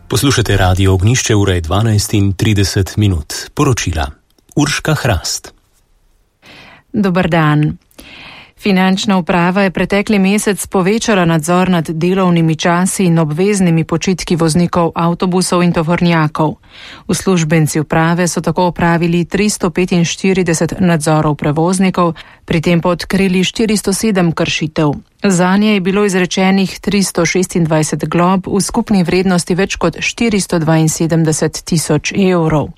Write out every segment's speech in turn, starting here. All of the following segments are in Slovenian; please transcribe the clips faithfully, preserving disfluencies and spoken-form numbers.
Poslušate Radio Ognišče, ura je dvanajst in trideset minut. Poročila. Urška Hrast. Dober dan. Finančna uprava je pretekli mesec povečala nadzor nad delovnimi časi in obveznimi počitki voznikov avtobusov in tovornjakov. Uslužbenci uprave so tako opravili tristo petinštirideset nadzorov prevoznikov, pri tem pa odkrili štiristo sedem kršitev. Zanje je bilo izrečenih tristo šestindvajset glob v skupni vrednosti več kot štiristo dvainsedemdeset tisoč evrov.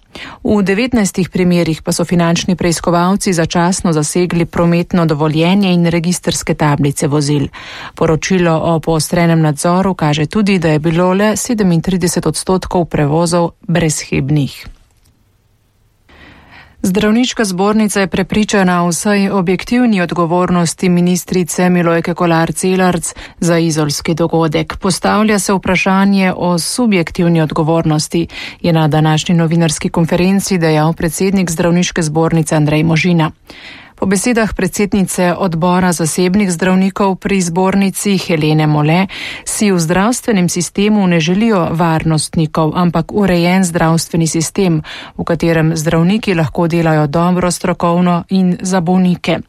V devetnajstih primerih pa so finančni preiskovalci začasno zasegli prometno dovoljenje in registrske tablice vozil. Poročilo o poostrenem nadzoru kaže tudi, da je bilo le sedemintrideset odstotkov prevozov brezhibnih. Zdravniška zbornica je prepričana o vsej objektivni odgovornosti ministrice Milojke Kolar Celarc za izolski dogodek. Postavlja se vprašanje o subjektivni odgovornosti, je na današnji novinarski konferenci dejal predsednik Zdravniške zbornice Andrej Možina. Po besedah predsednice odbora zasebnih zdravnikov pri zbornici Helene Mole si v zdravstvenem sistemu ne želijo varnostnikov, ampak urejen zdravstveni sistem, v katerem zdravniki lahko delajo dobro, strokovno in za bolnike.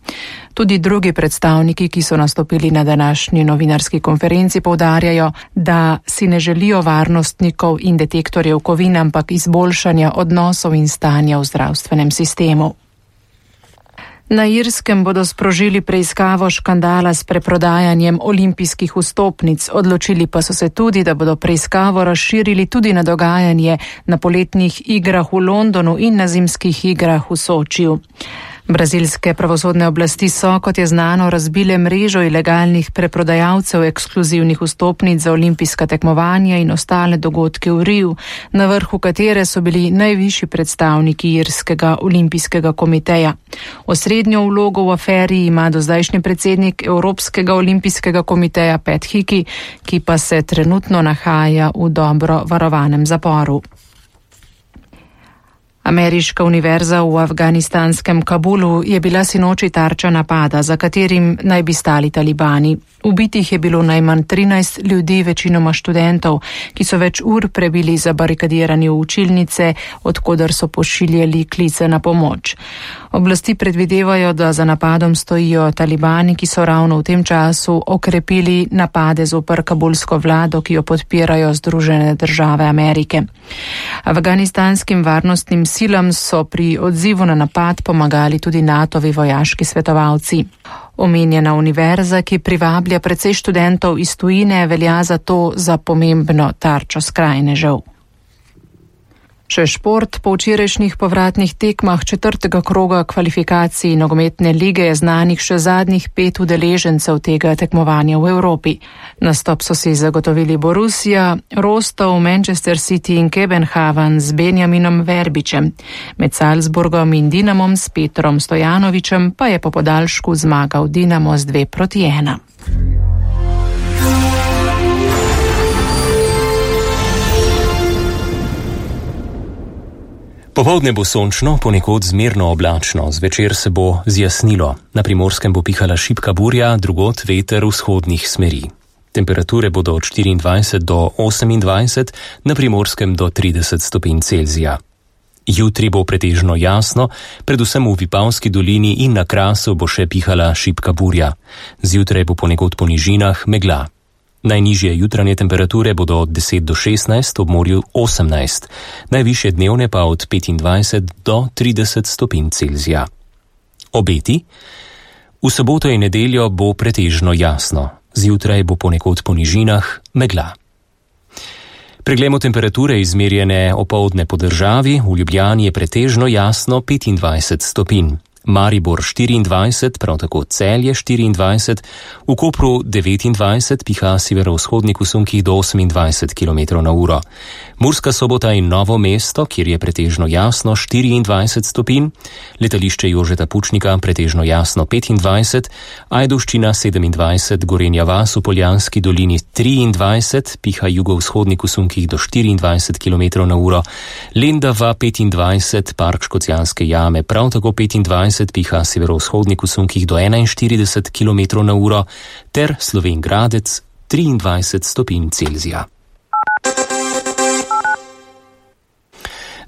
Tudi drugi predstavniki, ki so nastopili na današnji novinarski konferenci, poudarjajo, da si ne želijo varnostnikov in detektorjev kovin, ampak izboljšanja odnosov in stanja v zdravstvenem sistemu. Na Irskem bodo sprožili preiskavo škandala s preprodajanjem olimpijskih vstopnic. Odločili pa so se tudi, da bodo preiskavo razširili tudi na dogajanje na poletnih igrah v Londonu in na zimskih igrah v Sočiju. Brazilske pravosodne oblasti so, kot je znano, razbile mrežo ilegalnih preprodajalcev ekskluzivnih vstopnic za olimpijska tekmovanja in ostale dogodke v Riju, na vrhu katere so bili najvišji predstavniki Irskega olimpijskega komiteja. Osrednjo vlogo v aferi ima dozdajšnji predsednik Evropskega olimpijskega komiteja Pat Hickey, ki pa se trenutno nahaja v dobro varovanem zaporu. Ameriška univerza v afganistanskem Kabulu je bila sinoči tarča napada, za katerim naj bi stali talibani. Ubitih je bilo najmanj trinajst ljudi, večinoma študentov, ki so več ur prebili zabarikadirani v učilnice, odkoder so pošiljali klice na pomoč. Oblasti predvidevajo, da za napadom stojijo talibani, ki so ravno v tem času okrepili napade zoper kabulsko vlado, ki jo podpirajo Združene države Amerike. Afganistanskim varnostnim silam so pri odzivu na napad pomagali tudi natovi vojaški svetovalci. Omenjena univerza, ki privablja precej študentov iz tujine, velja zato za pomembno tarčo skrajnežev. Še šport. Po včerajšnjih povratnih tekmah četrtega kroga kvalifikacij nogometne lige je znanih še zadnjih pet udeležencev tega tekmovanja v Evropi. Nastop so si zagotovili Borussia, Rostov, Manchester City in Kopenhagen z Benjaminom Verbičem. Med Salzburgom in Dinamom s Petrom Stojanovičem pa je po podaljšku zmagal Dinamo z dve proti ena. Popoldne bo sončno, ponekod zmerno oblačno, zvečer se bo zjasnilo. Na Primorskem bo pihala šibka burja, drugod veter vzhodnih smeri. Temperature bodo od štiriindvajset do osemindvajset, na Primorskem do trideset stopinj Celzija. Jutri bo pretežno jasno, predvsem v Vipavski dolini in na Krasu bo še pihala šibka burja. Zjutraj bo ponekod po nižinah megla. Najnižje jutranje temperature bodo od deset do šestnajst, ob morju osemnajst, najvišje dnevne pa od petindvajset do trideset stopinj Celzija. Obeti? V soboto in nedeljo bo pretežno jasno, zjutraj bo ponekod po nižinah megla. Preglejmo temperature izmerjene opoldne po državi. V Ljubljani je pretežno jasno petindvajset stopinj. Maribor štiriindvajset, prav tako Celje štiriindvajset, v Kopru devetindvajset, piha severovzhodnik v sunkih do osemindvajset kilometrov na uro. Murska Sobota in Novo mesto, kjer je pretežno jasno štiriindvajset stopinj, letališče Jožeta Pučnika pretežno jasno petindvajset, Ajdovščina sedemindvajset, Gorenja vas v Poljanski dolini triindvajset, piha jugovzhodnik v sunkih do štiriindvajset kilometrov na uro, Lendava petindvajset, Park Škocjanske jame prav tako petindvajset, piha severovzhodnik v sunkih do enainštirideset kilometrov na uro, ter Slovenj Gradec triindvajset stopinj Celzija.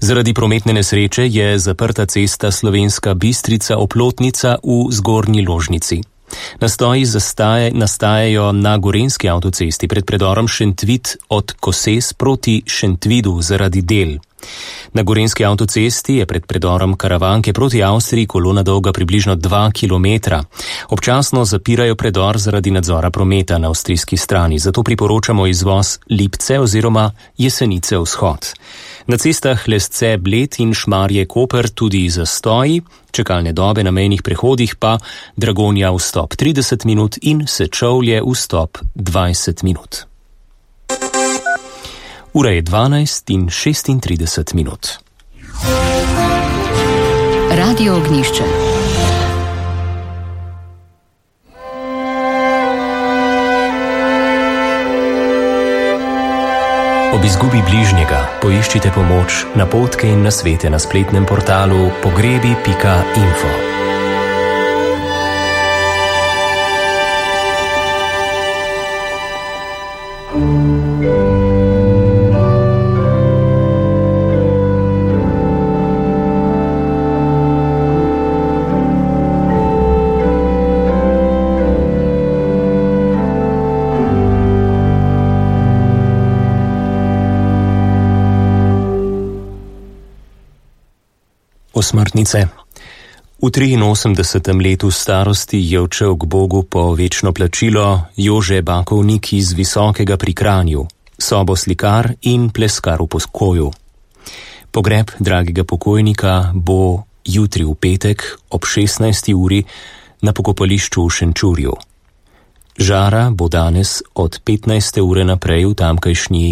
Zaradi prometne nesreče je zaprta cesta Slovenska Bistrica-Oplotnica v Zgornji Ložnici. Nastoji zastaje, nastajajo na gorenjski avtocesti pred predorom Šentvid od Koses proti Šentvidu zaradi del. Na gorenjski avtocesti je pred predorom Karavanke proti Avstriji kolona dolga približno dva kilometra. Občasno zapirajo predor zaradi nadzora prometa na avstrijski strani, zato priporočamo izvoz Lipce oziroma Jesenice vzhod. Na cestah Lesce Bled in Šmarje Koper tudi zastoji, čakalne dobe na mejnih prehodih pa Dragonja vstop trideset minut in Sečovlje vstop dvajset minut. Ura je dvanajst in šestintrideset minut. Radio Ognjišče. Ob izgubi bližnjega poiščite pomoč, napotke in nasvete na spletnem portalu pogrebi pika info. Osmrtnice. V triinosemdesetem letu starosti je odšel k Bogu po večno plačilo Jože Bakovnik iz Visokega pri Kranju, soboslikar in pleskar v Poskoju. Pogreb dragega pokojnika bo jutri v petek ob šestnajsti uri na pokopališču v Šenčurju. Žara bo danes od petnajste ure naprej v tamkajšnji